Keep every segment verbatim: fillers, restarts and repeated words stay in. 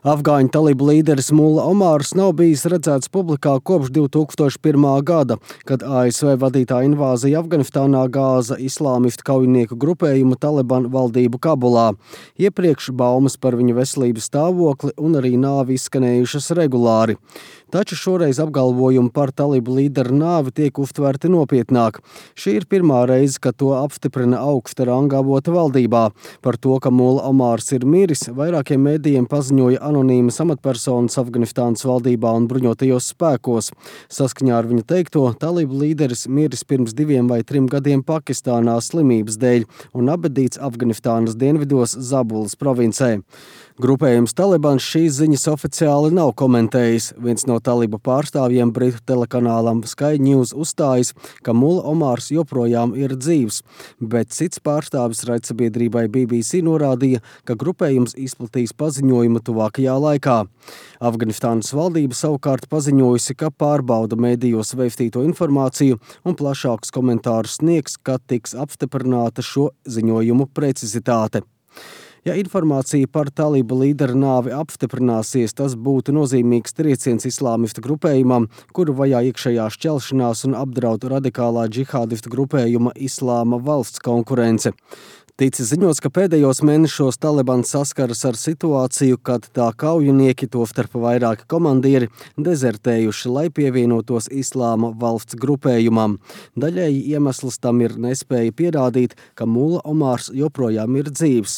Afgāņu talibu līderis Mulla Omārs nav bijis redzēts publikā kopš divi tūkstoši pirmā gada, kad A S V vadītā invāzija Afganistānā gāza islāmistu kaujinieku grupējumu Taliban valdību Kabulā. Iepriekš baumas par viņa veselības stāvokli un arī nāvi izskanējušas regulāri. Taču šoreiz apgalvojumi par talibu līderu nāvi tiek uztverti nopietnāk. Šī ir pirmā reize, kad to apstiprina augsta ranga avota valdībā. Par to, ka Mulla Omārs ir miris, vairākiem mēdījiem paziņoja anonīmas amatpersonas Afganistānas valdībā un bruņotajos spēkos. Saskaņā ar viņa teikto, talibu līderis miris pirms diviem vai trim gadiem Pakistānā slimības dēļ un apbedīts Afganistānas dienvidos Zabulas provincē. Grupējums Talibans šīs ziņas oficiāli nav komentējis. Viens no talibu pārstāvjiem britu telekanālam Sky News uzstājas, ka Mulla Omārs joprojām ir dzīvs, bet cits pārstāvis raidsabiedrībai B B C norādīja, ka grupējums izplatīs paziņojumu tuvākajā laikā. Afganistānas valdība savukārt paziņojusi, ka pārbauda mēdījos veistīto informāciju un plašākus komentārus sniegs, kad tiks apstiprināta šo ziņojumu precizitāte. Ja informācija par talibu līderu nāvi apstiprināsies, tas būtu nozīmīgs trieciens islāmistu grupējumam, kuru vajā iekšējā šķelšanās un apdraud radikālā džihādistu grupējuma Islāma valsts konkurence. Ticis ziņots, ka pēdējos mēnešos Talibans saskaras ar situāciju, kad tā kaujinieki, tostarp vairāki komandieri, dezertējuši, lai pievienotos Islāma valsts grupējumam. Daļēji iemesls tam ir nespēja pierādīt, ka Mulla Omārs joprojām ir dzīvs.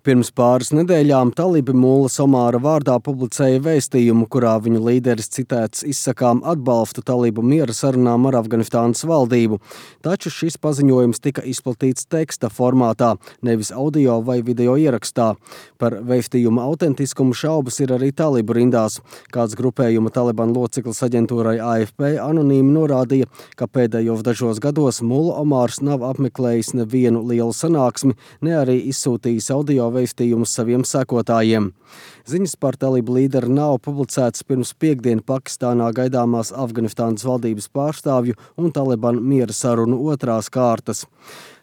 Pirms pāris nedēļām talibi Mullas Omāra vārdā publicēja vēstījumu, kurā viņu līderis citēts izsakām atbalstu talibu miera sarunām ar Afganistānas valdību. Taču šis paziņojums tika izplatīts teksta formātā, nevis audio vai video ierakstā. Par vēstījuma autentiskumu šaubas ir arī talibu rindās. Kāds grupējuma Taliban loceklis aģentūrai A F P anonīmi norādīja, ka pēdējos dažos gados Mulla Omārs nav apmeklējis nevienu lielu sanāksmi, ne arī izsūtījis audio vēstījumus saviem sekotājiem. Ziņas par talibu līderu nav publicētas pirms piekdien Pakistānā gaidāmās Afganistānas valdības pārstāvju un Taliban miera sarunu otrās kārtas.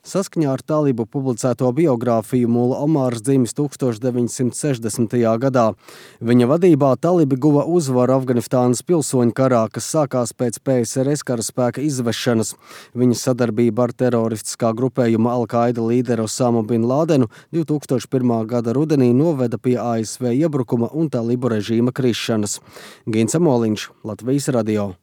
Saskaņā ar talibu publicēto biogrāfiju Mulla Omārs dzimis tūkstoš deviņsimt sešdesmitajā gadā. Viņa vadībā talibi guva uzvaru Afganistānas pilsoņu karā, kas sākās pēc P S R S karaspēka izvešanas. Viņa sadarbība ar teroristiskā grupējuma Al-Qaida līderu Osamu bin Lādenu divi tūkstoši pirmā gada rudenī noveda pie A S V iebrukuma un talibu režīma krišanas. Gins Amoliņš, Latvijas radio.